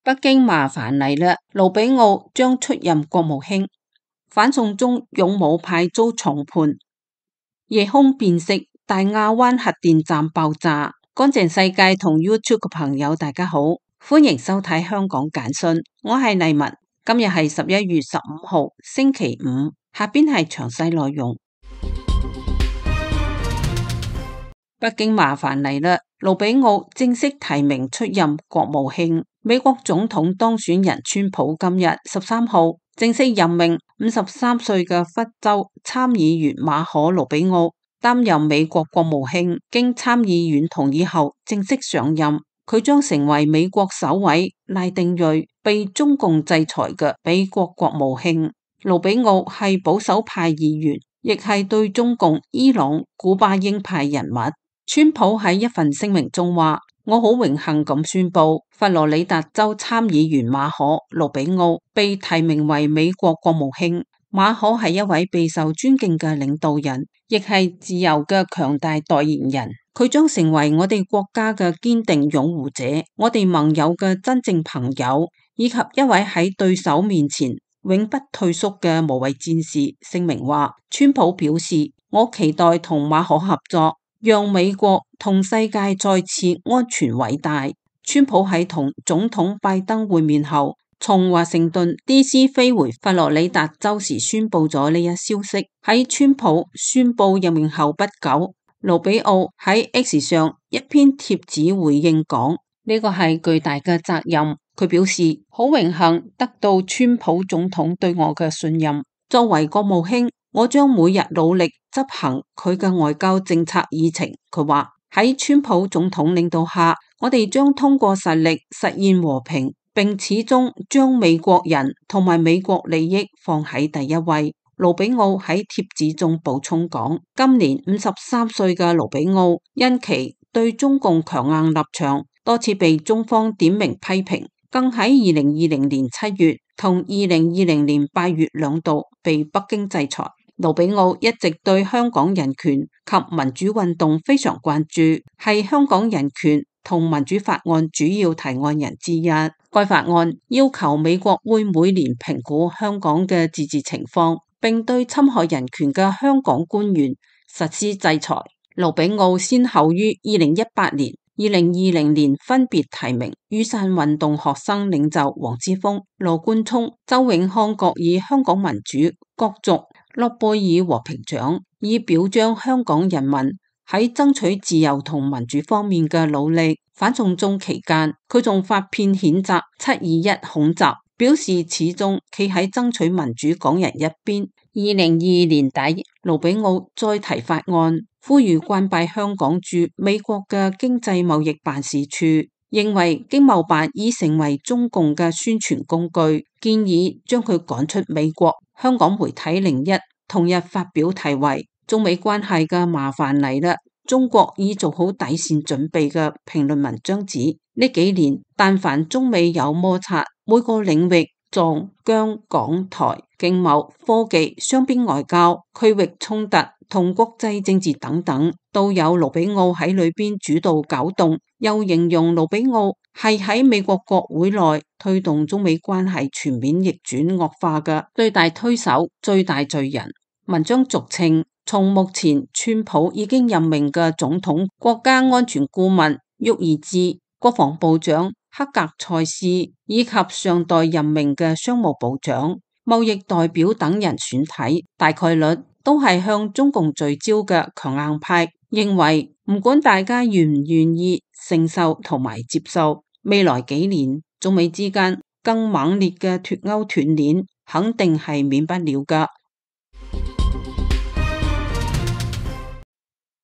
北京麻煩嚟啦，盧比奧將出任國務卿。反送中勇武派遭重判。夜空變色，大亞灣核電站爆炸。乾淨世界同 YouTube 嘅朋友大家好，歡迎收睇香港簡訊，我係麗文。今日係11月15號星期五，下邊係詳細內容。北京麻煩嚟啦，盧比奧正式提名出任國務卿。美國總統當選人川普今日13號正式任命53歲嘅佛州參議員馬可盧比奧擔任美國國務卿，經參議院同意後正式上任。佢將成為美國首位拉丁裔被中共制裁嘅美國國務卿。盧比奧係保守派議員，亦係對中共、伊朗、古巴鷹派人物。川普喺一份聲明中話：我好榮幸咁宣布，佛羅里達州參議員馬可盧比奧被提名為美國國務卿。馬可係一位備受尊敬嘅領導人，亦係自由嘅強大代言人。佢將成為我哋國家嘅堅定擁護者，我哋盟友嘅真正朋友，以及一位喺對手面前永不退縮嘅無畏戰士。聲明話，川普表示：我期待同馬可合作，讓美國同世界再次安全偉大。川普喺同總統拜登會面後，從華盛頓 DC 飛回佛羅里達州時宣布咗呢一消息。喺川普宣布任命後不久，盧比奧喺 X 上一篇貼紙回應講：呢個係巨大嘅責任。佢表示好榮幸得到川普總統對我嘅信任。作為國務卿，我將每日努力執行佢嘅外交政策議程。佢話喺川普總統領導下，我哋將通過實力實現和平，並始終將美國人同埋美國利益放喺第一位。盧比奧喺貼紙中補充講：今年53歲嘅盧比奧因其對中共強硬立場，多次被中方點名批評，更喺2020年7月同2020年8月兩度被北京制裁。盧比奧一直對香港人權及民主運動非常關注，係香港人權同民主法案主要提案人之一。該法案要求美國會每年評估香港嘅自治情況，並對侵害人權嘅香港官員實施制裁。盧比奧先後於2018年、2020年分別提名雨傘運動學生領袖黃之鋒、羅冠聰、周永康各以香港民主角逐諾貝爾和平獎，以表彰香港人民喺爭取自由同民主方面嘅努力。反送中期間，佢仲發片譴責721恐襲，表示始終企喺爭取民主港人一邊。2022年底，盧比奧再提法案，呼籲關閉香港駐美國嘅經濟貿易辦事處，認為經貿辦已成為中共嘅宣傳工具，建議將佢趕出美國。香港媒體01同日發表題為中美關係嘅麻煩嚟啦，中國已做好底線準備嘅評論文章指，呢幾年但凡中美有摩擦，每個領域藏疆港台經貿、科技、雙邊外交、區域衝突同國際政治等等，都有盧比奧喺裏邊主導搞動。又形容盧比奧係喺美國國會內推動中美關係全面逆轉惡化嘅最大推手、最大罪人。文章俗稱，從目前川普已經任命嘅總統國家安全顧問沃爾茲、國防部長克格塞斯以及上代任命嘅商務部長、貿易代表等人選體，大概率都係向中共聚焦嘅強硬派，認為唔管大家願唔願意承受同埋接受，未來幾年中美之間更猛烈嘅脫鈎斷鏈肯定係免不了噶。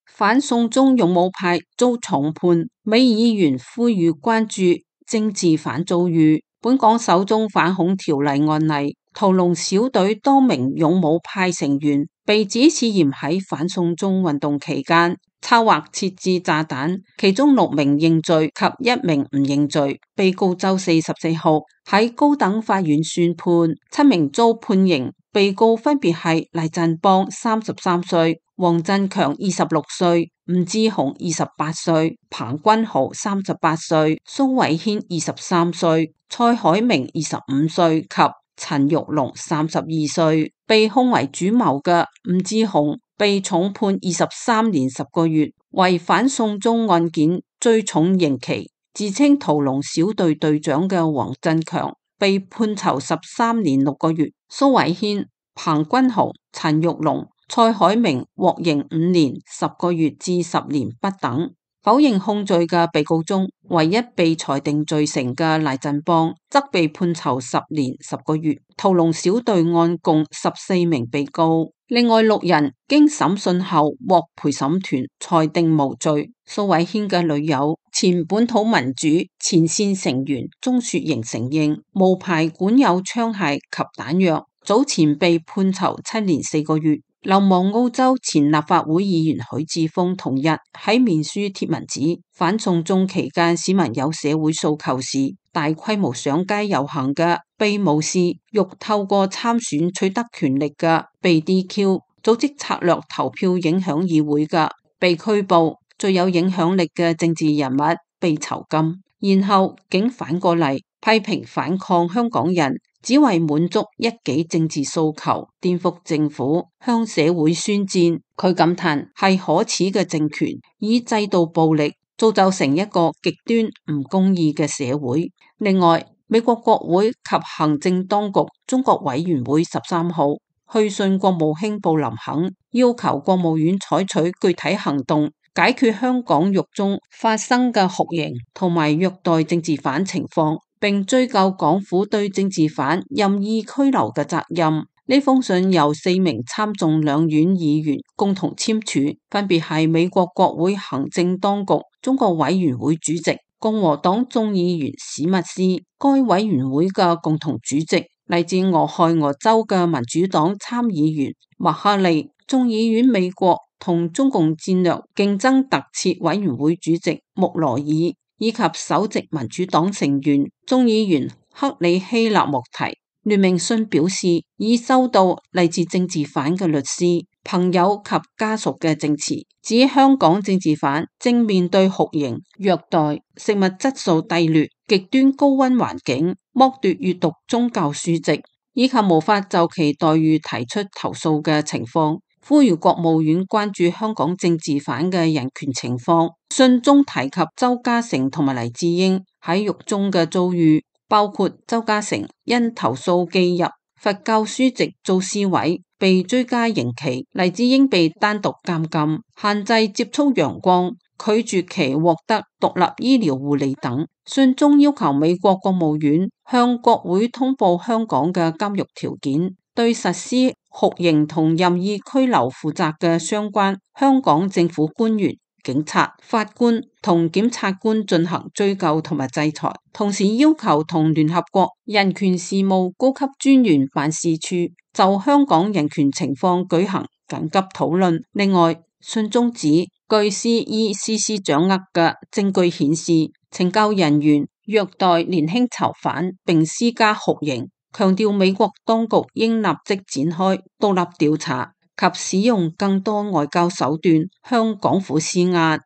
反送中勇武派遭重判，美議員呼籲關注政治犯遭遇。本港首宗反恐條例案例，屠龍小隊多名勇武派成員被指涉嫌喺反送中運動期間策劃設置炸彈，其中6名認罪及1名唔認罪。被告周四14號喺高等法院宣判，7名遭判刑。被告分別係黎振邦33歲、黃振強26歲、吳志雄28歲、彭君豪38歲、蘇偉軒23歲、蔡海明25歲及陳玉龍32歲。被控為主謀嘅吳志雄被重判23年10個月，為反送中案件最重刑期。自稱屠龍小隊隊長嘅黃振強被判囚13年6個月。蘇偉軒、彭君豪、陳玉龍、蔡海明獲刑5年10個月至10年不等。否認控罪嘅被告中，唯一被裁定罪成嘅黎振邦則被判囚10年10個月。屠龍小隊案共14名被告，另外6人經審訊後獲陪審團裁定無罪。蘇偉軒嘅女友前本土民主前線成員鍾雪瑩承認無牌管有槍械及彈藥，早前被判囚7年4個月。流亡澳洲前立法會議員許智峰同日喺面書貼文指，反送中期間市民有社會訴求時，大規模上街遊行嘅被無視，欲透過參選取得權力嘅被 DQ， 組織策略投票影響議會嘅被拘捕，最有影響力嘅政治人物被囚禁。然後竟反過嚟批評反抗香港人只為滿足一己政治訴求，顛覆政府，向社會宣戰。佢感嘆係可恥嘅政權，以制度暴力造就成一個極端唔公義嘅社會。另外，美國國會及行政當局中國委員會13號去信國務卿布林肯，要求國務院採取具體行動，解決香港獄中發生嘅酷刑同埋虐待政治犯情況，並追究港府對政治犯任意拘留嘅責任。呢封信由4名參眾兩院議員共同簽署，分別係美國國會行政當局中國委員會主席共和黨眾議員史密斯，該委員會嘅共同主席嚟自俄亥俄州嘅民主黨參議員麥克利，眾議院美國同中共戰略競爭特設委員會主席穆羅爾，以及首席民主黨成員眾議員克里希納莫提。聯名信表示，已收到嚟自政治犯嘅律師、朋友及家屬嘅證詞，指香港政治犯正面對酷刑、虐待、食物質素低劣、極端高溫環境、剝奪閱讀宗教書籍，以及無法就其待遇提出投訴嘅情況，呼籲國務院關注香港政治犯嘅人權情況。信中提及鄒家成同埋黎智英喺獄中嘅遭遇，包括鄒家成因投訴寄入佛教書籍遭撕毀被追加刑期，黎智英被單獨監禁，限制接觸陽光，拒絕其獲得獨立醫療護理等。信中要求美國國務院向國會通報香港嘅監獄條件，對實施酷刑同任意拘留負責嘅相關香港政府官員、警察、法官同檢察官進行追究同埋制裁，同時要求同聯合國人權事務高級專員辦事處就香港人權情況舉行緊急討論。另外，信中指，據 CECC 掌握嘅證據顯示，懲教人員虐待年輕囚犯並施加酷刑，強調美國當局應立即展開獨立調查及使用更多外交手段向港府施壓。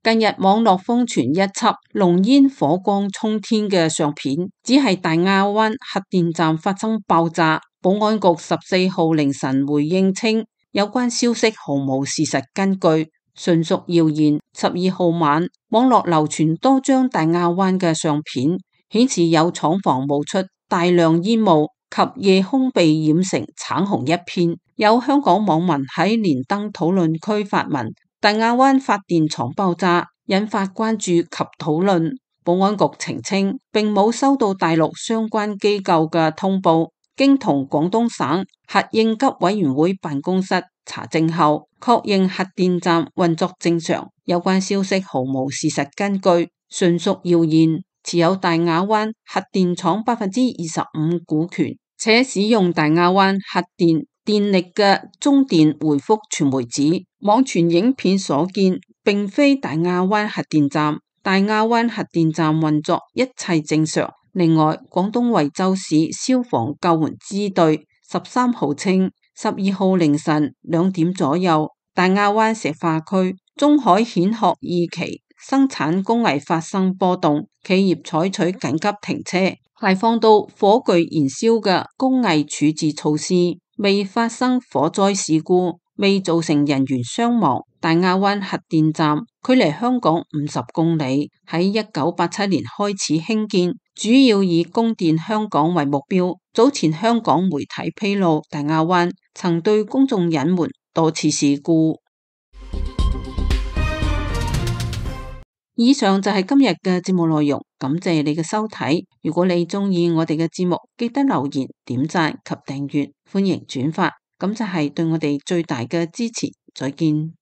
近日網絡瘋傳一輯濃煙火光衝天嘅相片，只係大亞灣核電站發生爆炸。保安局14號凌晨回應稱，有關消息毫無事實根據，純屬謠言。12號晚，網絡流傳多張大亞灣嘅相片，顯示有廠房冒出大量煙霧及夜空被染成橙紅一片。有香港網民喺連登討論區發文，大亞灣發電廠爆炸，引發關注及討論。保安局澄清，並冇收到大陸相關機構嘅通報，經同廣東省核應急委員會辦公室查證後，確認核電站運作正常。有關消息毫無事實根據，純屬謠言。持有大亞灣核電廠25%股權，且使用大亞灣核電電力嘅中電回覆傳媒指，網傳影片所見並非大亞灣核電站，大亞灣核電站運作一切正常。另外，廣東惠州市消防救援支隊13號稱，12號凌晨2點左右，大亞灣石化區中海蜆殼二期生產工藝發生波動，企業採取緊急停車，排放到火炬燃燒嘅工藝處置措施，未發生火災事故，未造成人員傷亡。大亞灣核電站距離香港50公里，喺1987年開始興建，主要以供電香港為目標。早前香港媒體披露，大亞灣曾對公眾隱瞞多次事故。以上就係今日嘅節目內容，感謝你嘅收睇。如果你鍾意我哋嘅節目，記得留言、點讚及訂閱，歡迎轉發，咁就係對我哋最大嘅支持。再見。